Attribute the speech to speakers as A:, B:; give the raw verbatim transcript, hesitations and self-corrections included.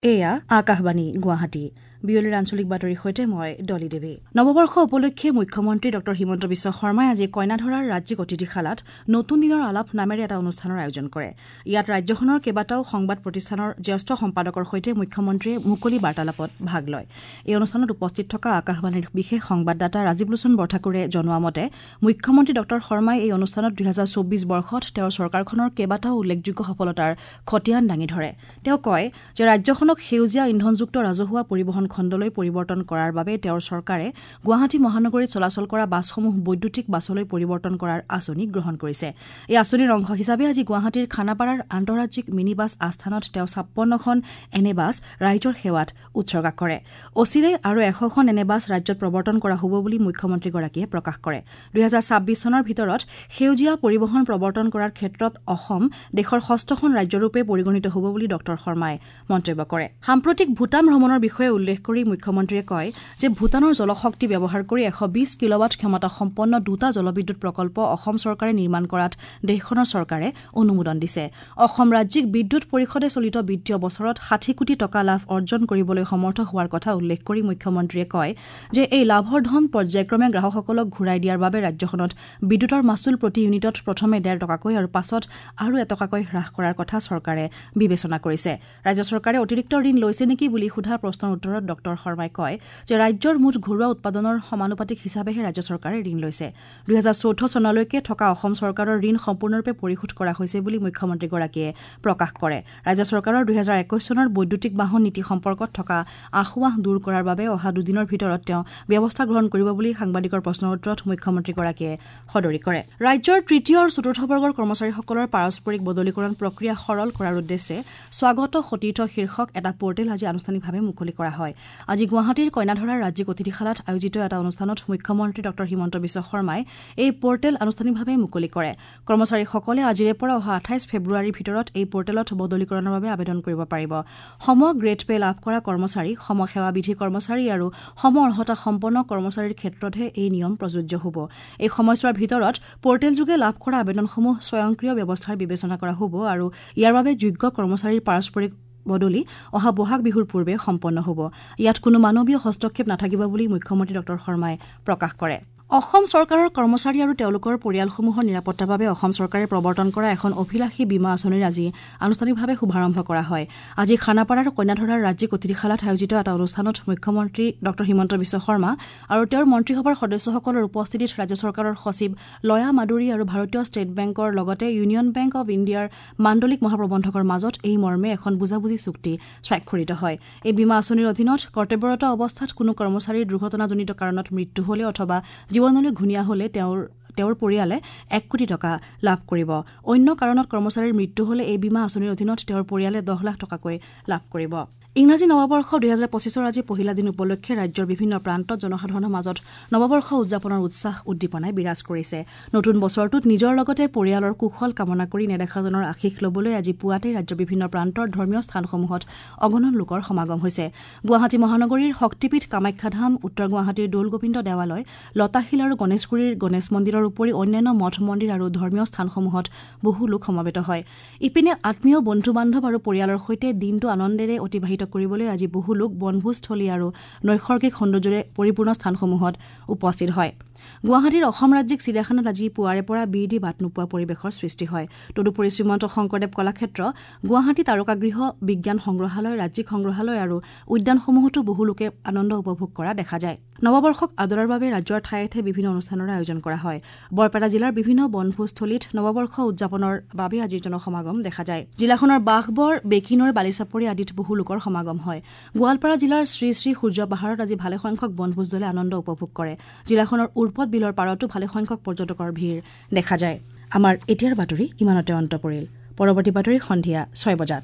A: এয়া আকাশবাণী গুৱাহাটী বিয়লিৰ আঞ্চলিক বাতৰিৰ সৈতে মই ডলি দেৱী। নৱবৰ্ষ উপলক্ষে মুখ্যমন্ত্ৰী ডঃ হিমন্ত বিশ্ব শৰ্মাই আজি কইনাধৰাৰ ৰাজ্যিক অতিথিশালাত নতুন দিনৰ আলাপ নামেৰে এটা অনুষ্ঠানৰ আয়োজন কৰে। ইয়াত ৰাজ্যখনৰ কেইবাটাও সংবাদ প্ৰতিষ্ঠানৰ জ্যেষ্ঠ সম্পাদকৰ সৈতে মুখ্যমন্ত্ৰীয়ে মুকলি বাৰ্তালাপত ভাগ লয়। এই অনুষ্ঠানত উপস্থিত থকা আকাশবাণীৰ বিশেষ সংবাদদাতা ৰাজীৱ লোচন বৰঠাকুৰে জনোৱা মতে মুখ্যমন্ত্ৰী ডঃ শৰ্মাই এই অনুষ্ঠানত দুহেজাৰ চৌবিশ বৰ্ষত তেওঁৰ চৰকাৰখনৰ কেইবাটাও উল্লেখযোগ্য সফলতাৰ খতিয়ান দাঙি ধৰে। তেওঁ কয় যে ৰাজ্যখনক সেউজীয়া ইন্ধনযুক্ত ৰাজহুৱা পৰিবহণ খণ্ডলৈ পৰিৱৰ্তন কৰাৰ বাবে তেওঁৰ চৰকাৰে গুৱাহাটী মহানগৰীত চলাচল কৰা বাছসমূহ বৈদ্যুতিক বাছলৈ পৰিৱৰ্তন কৰাৰ আঁচনি গ্ৰহণ কৰিছে। এই আঁচনিৰ অংশ হিচাপে আজি গুৱাহাটীৰ খানাপাৰাৰ আন্তঃৰাজ্যিক মিনি বাছ আস্থানত তেওঁ ছাপন্নখন এনে বাছ ৰাইজৰ সেৱাত উৎসৰ্গা কৰে। অচিৰেই আৰু এশখন এনে বাছ ৰাজ্যত প্ৰৱৰ্তন কৰা হ'ব বুলি মুখ্যমন্ত্ৰীগৰাকীয়ে প্ৰকাশ কৰে। দুহেজাৰ ছাব্বিছ চনৰ ভিতৰত সেউজীয়া পৰিবহণ প্ৰৱৰ্তন কৰাৰ ক্ষেত্ৰত অসম দেশৰ ষষ্ঠখন ৰাজ্যৰূপে পৰিগণিত হ'ব বুলি ডঃ শৰ্মাই মন্তব্য কৰে। সাম্প্ৰতিক ভূটান ভ্ৰমণৰ বিষয়ে উল্লেখ কৰি মুখ্যমন্ত্ৰীয়ে কয় যে ভূটানৰ জলশক্তি ব্যৱহাৰ কৰি এশ বিশ কিলোৱাট ক্ষমতাসম্পন্ন দুটা জলবিদ্যুৎ প্ৰকল্প অসম চৰকাৰে নিৰ্মাণ কৰাত দেশখনৰ চৰকাৰে অনুমোদন দিছে। অসম ৰাজ্যিক বিদ্যুৎ পৰিষদে চলিত বিত্তীয় বছৰত ষাঠি কোটি টকা লাভ অৰ্জন কৰিবলৈ সমৰ্থ হোৱাৰ কথা উল্লেখ কৰি মুখ্যমন্ত্ৰীয়ে কয় যে এই লাভৰ ধন পৰ্যায়ক্ৰমে গ্ৰাহকসকলক ঘূৰাই দিয়াৰ বাবে ৰাজ্যখনত বিদ্যুতৰ মাচুল প্ৰতি ইউনিটত প্ৰথমে ডেৰ টকাকৈ আৰু পাছত আৰু এটকাকৈ হ্ৰাস কৰাৰ কথা চৰকাৰে বিবেচনা কৰিছে। ৰাজ্য চৰকাৰে অতিৰিক্ত ঋণ লৈছে নেকি বুলি সোধা প্ৰশ্নৰ উত্তৰত ডঃ শৰ্মাই কয় যে ৰাজ্যৰ মুঠ ঘৰুৱা উৎপাদনৰ সমানুপাতিক হিচাপেহে ৰাজ্য চৰকাৰে ঋণ লৈছে। দুহেজাৰ চৈধ্য চনলৈকে থকা অসম চৰকাৰৰ ঋণ সম্পূৰ্ণৰূপে পৰিশোধ কৰা হৈছে বুলি মুখ্যমন্ত্ৰীগৰাকীয়ে প্ৰকাশ কৰে। ৰাজ্য চৰকাৰৰ দুহেজাৰ একৈশ চনৰ বৈদ্যুতিক বাহন নীতি সম্পৰ্কত থকা আসোঁৱাহ দূৰ কৰাৰ বাবে অহা দুদিনৰ ভিতৰত তেওঁ ব্যৱস্থা গ্ৰহণ কৰিব বুলি সাংবাদিকৰ প্ৰশ্নৰ উত্তৰত মুখ্যমন্ত্ৰীগৰাকীয়ে সদৰি কৰে। ৰাজ্যৰ তৃতীয় আৰু চতুৰ্থ বৰ্গৰ কৰ্মচাৰীসকলৰ পাৰস্পৰিক বদলিকৰণ প্ৰক্ৰিয়া সৰল কৰাৰ উদ্দেশ্যে স্বাগত সতীৰ্থ শীৰ্ষক এটা পৰ্টেল আজি আনুষ্ঠানিকভাৱে মুকলি কৰা হয়। আজি গুৱাহাটীৰ কইনাধৰাৰ ৰাজ্যিক অতিথিশালাত আয়োজিত এটা অনুষ্ঠানত মুখ্যমন্ত্ৰী ডঃ হিমন্ত বিশ্ব শৰ্মাই এই পৰ্টেল আনুষ্ঠানিকভাৱে মুকলি কৰে। কৰ্মচাৰীসকলে আজিৰে পৰা অহা আঠাইছ ফেব্ৰুৱাৰীৰ ভিতৰত এই পৰ্টেলত বদলিকৰণৰ বাবে আবেদন কৰিব পাৰিব। সম গ্ৰেড পে লাভ কৰা কৰ্মচাৰী, সম সেৱাবিধি কৰ্মচাৰী আৰু সম অৰ্হতা সম্পন্ন কৰ্মচাৰীৰ ক্ষেত্ৰতহে এই নিয়ম প্ৰযোজ্য হ'ব। এই সময়ছোৱাৰ ভিতৰত পৰ্টেলযোগে লাভ কৰা আবেদনসমূহ স্বয়ংক্ৰিয় ব্যৱস্থাৰ বিবেচনা কৰা হ'ব আৰু ইয়াৰ বাবে যোগ্য কৰ্মচাৰীৰ পাৰস্পৰিক বদলি অহা বহাগ বিহুৰ পূৰ্বে সম্পন্ন হ'ব। ইয়াত কোনো মানৱীয় হস্তক্ষেপ নাথাকিব বুলি মুখ্যমন্ত্ৰী ডঃ শৰ্মাই প্ৰকাশ কৰে। অসম চৰকাৰৰ কৰ্মচাৰী আৰু তেওঁলোকৰ পৰিয়ালসমূহৰ নিৰাপত্তাৰ বাবে অসম চৰকাৰে প্ৰৱৰ্তন কৰা এখন অভিলাষী বীমা আঁচনিৰ আজি আনুষ্ঠানিকভাৱে শুভাৰম্ভ কৰা হয়। আজি খানাপাৰাৰ কইনাধৰাৰ ৰাজ্যিক অতিথিশালাত আয়োজিত এটা অনুষ্ঠানত মুখ্যমন্ত্ৰী ডঃ হিমন্ত বিশ্ব শৰ্মা আৰু তেওঁৰ মন্ত্ৰীসভাৰ সদস্যসকলৰ উপস্থিতিত ৰাজ্য চৰকাৰৰ সচিব লয়া মাদুৰী আৰু ভাৰতীয় ষ্টেট বেংকৰ লগতে ইউনিয়ন বেংক অৱ ইণ্ডিয়াৰ মাণ্ডলিক মহাপ্ৰবন্ধকৰ মাজত এই মৰ্মে এখন বুজাবুজি চুক্তি স্বাক্ষৰিত হয়। এই বীমা আঁচনিৰ অধীনত কৰ্তব্যৰত অৱস্থাত কোনো কৰ্মচাৰীৰ দুৰ্ঘটনাজনিত কাৰণত মৃত্যু হলে অথবা জীৱনলৈ ঘূণীয়া হলে তেওঁৰ তেওঁৰ পৰিয়ালে এক কোটি টকা লাভ কৰিব। অন্য কাৰণত কৰ্মচাৰীৰ মৃত্যু হলে এই বীমা আঁচনিৰ অধীনত তেওঁৰ পৰিয়ালে দহ লাখ টকাকৈ লাভ কৰিব। ইংৰাজী নৱবৰ্ষ দুহেজাৰ পঁচিছৰ আজি পহিলা দিন উপলক্ষে ৰাজ্যৰ বিভিন্ন প্ৰান্তত জনসাধাৰণৰ মাজত নৱবৰ্ষ উদযাপনৰ উৎসাহ উদ্দীপনাই বিৰাজ কৰিছে। নতুন বছৰটোত নিজৰ লগতে পৰিয়ালৰ কুশল কামনা কৰি নেদেখাজনৰ আশীষ ল'বলৈ আজি পুৱাতেই ৰাজ্যৰ বিভিন্ন প্ৰান্তৰ ধৰ্মীয় স্থানসমূহত অগণন লোকৰ সমাগম হৈছে। গুৱাহাটী মহানগৰীৰ শক্তিপীঠ কামাখ্যা ধাম, উত্তৰ গুৱাহাটীৰ দৌলগোবিন্দ দেৱালয়, লতাশিল আৰু গণেশগুৰিৰ গণেশ মন্দিৰৰ উপৰি অন্যান্য মঠ মন্দিৰ আৰু ধৰ্মীয় স্থানসমূহত বহু লোক সমবেত হয়। ইপিনে আত্মীয়, বন্ধু বান্ধৱ আৰু পৰিয়ালৰ সৈতে দিনটো আনন্দেৰে অতিবাহিত কৰিবলৈ আজি বহু লোক বনভোজস্থলী আৰু নৈসৰ্গিক সৌন্দৰ্যৰে পৰিপূৰ্ণ স্থানসমূহত উপস্থিত হয়। গুৱাহাটীৰ অসম ৰাজ্যিক চিৰিয়াখানাত আজি পুৱাৰে পৰা বিৰ দি বাট নোপোৱা পৰিৱেশৰ সৃষ্টি হয়। তদুপৰি শ্ৰীমন্ত শংকৰদেৱ কলাক্ষেত্ৰ, গুৱাহাটী তাৰকাগৃহ, বিজ্ঞান সংগ্ৰহালয়, ৰাজ্যিক সংগ্ৰহালয় আৰু উদ্যানসমূহতো বহু লোকে আনন্দ উপভোগ কৰা দেখা যায়। নৱবৰ্ষক আদৰাৰ বাবে ৰাজ্যৰ ঠায়ে ঠায়ে বিভিন্ন অনুষ্ঠানৰ আয়োজন কৰা হয়। বৰপেটা জিলাৰ বিভিন্ন বনভোজস্থলীত নৱবৰ্ষ উদযাপনৰ বাবে আজি জনসমাগম দেখা যায়। জিলাখনৰ বাঘবৰ, বেকিনৈৰ বালিচাপৰি আদিত বহু লোকৰ সমাগম হয়। গোৱালপাৰা জিলাৰ শ্ৰী শ্ৰী সূৰ্য পাহাৰত আজি ভালেসংখ্যক বনভোজ দলে আনন্দ উপভোগ কৰে। জিলাখনৰ উৰ্পদ বিলৰ পাৰতো ভালেসংখ্যক পৰ্যটকৰ ভিৰ দেখা যায়। আমাৰ এতিয়াৰ বাতৰি ইমানতে অন্ত পৰিল। পৰৱৰ্তী বাতৰি সন্ধিয়া ছয় বজাত।